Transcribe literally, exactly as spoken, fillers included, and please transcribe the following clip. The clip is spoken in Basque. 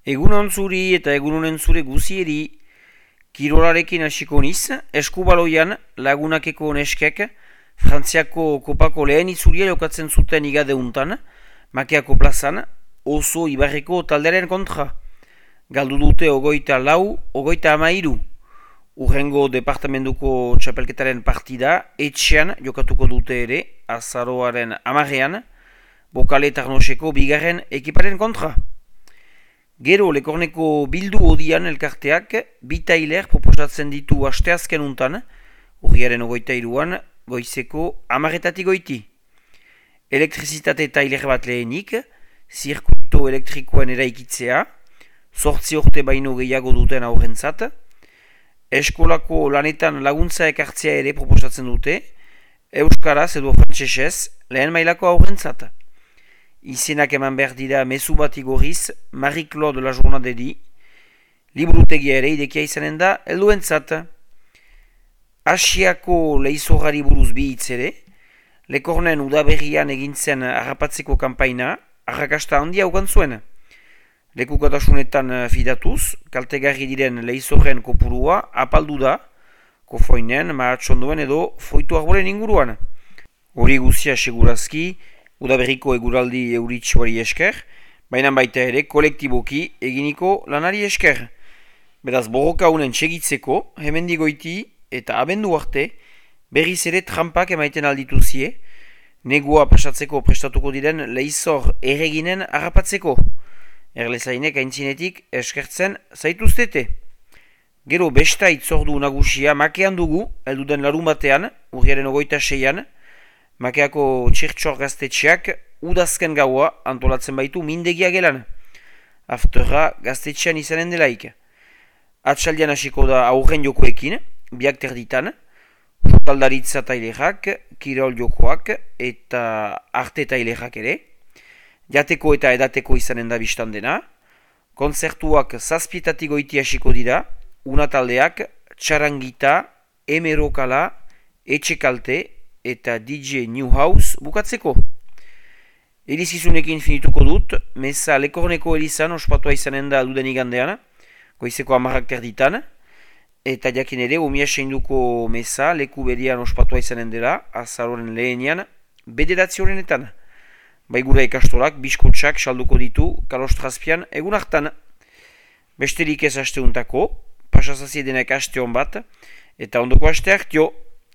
Egunon zuri eta egunonen zure guzieri, kirolarekin hasiko niz, eskubaloian lagunakeko neskek, Frantziako kopako lehen itzulia jokatzen zuten igadeuntan, Makeako plazan, oso ibarreko talderen kontra. Galdu dute ogoita lau, ogoita amairu. Urrengo departamentuko txapelketaren partida, etxean jokatuko dute ere, azaroaren amarrean, Bokale Tarnoseko bigarren ekiparen kontra. Gero Lekorneko bildu odian elkarteak bi tailer proposatzen ditu asteazken untan, urriaren ogoita iruan, goizeko amarretatik goiti. Elektrizitate tailer bat lehenik, zirkuito elektrikoen eraikitzea, sortzi urte baino gehiago duten aurrentzat, eskolako lanetan laguntza ekartzea ere proposatzen dute, euskaraz edo frantsesez lehen mailako aurrentzat. Izenak eman behar dira mezu bat igorriz Marie-Claude La Journaderi, liburutegia ere idekia izanen da helduentzat. Asiako leizorrari buruz bi hitz ere, Lekornen udaberrian egintzen harrapatzeko kanpaina, arrakasta handia ukan zuen. Lekukatasunetan fidatuz, kaltegarri diren leizorren kopurua apaldu da, kofoinen, mahatxondoen edo foitu arboren inguruan. Hori guzia segurazki, udaberriko eguraldi euritsuari esker, baina baita ere kolektiboki eginiko lanari esker. Beraz, borroka unen txegitzeko, hemendigoiti eta abendu arte, berriz ere trampak emaiten aldituzie, negua pasatzeko prestatuko diren leizor erreginen harrapatzeko. Erlezainek aintzinetik eskertzen zaituztete. Gero besta itzordu nagusia Makean dugu, elduden larun batean, urriaren ogoita seian, Makeako txirtxor gaztetxeak udazken gaua antolatzen baitu mindegia gelan. Afterra gaztetxean izanen delaik. Atxaldian hasiko da aurren jokoekin, biak terditan, jokaldaritza tailerak, kirol jokoak eta arte tailerak ere, jateko eta edateko izanen da biztan dena, kontzertuak zazpietatik goiti hasiko dira, unataldeak, txarangita, emerokala, etxekalte eta D J New House bukatzeko. Elizizunekin finituko dut, meza Lekorneko elizan ospatua izanen da duden igandean, goizeko amarrak terditan, eta jakin ere umia seinduko meza leku berian ospatua izanen dela, azaroren lehenian, bederatzi horrenetan. Baigura ikastorak, biskotxak salduko ditu, kalostrazpian egun hartan. Besterik ez asteuntako, pasazazie denak aste hon bat, eta ondoko aste hartio.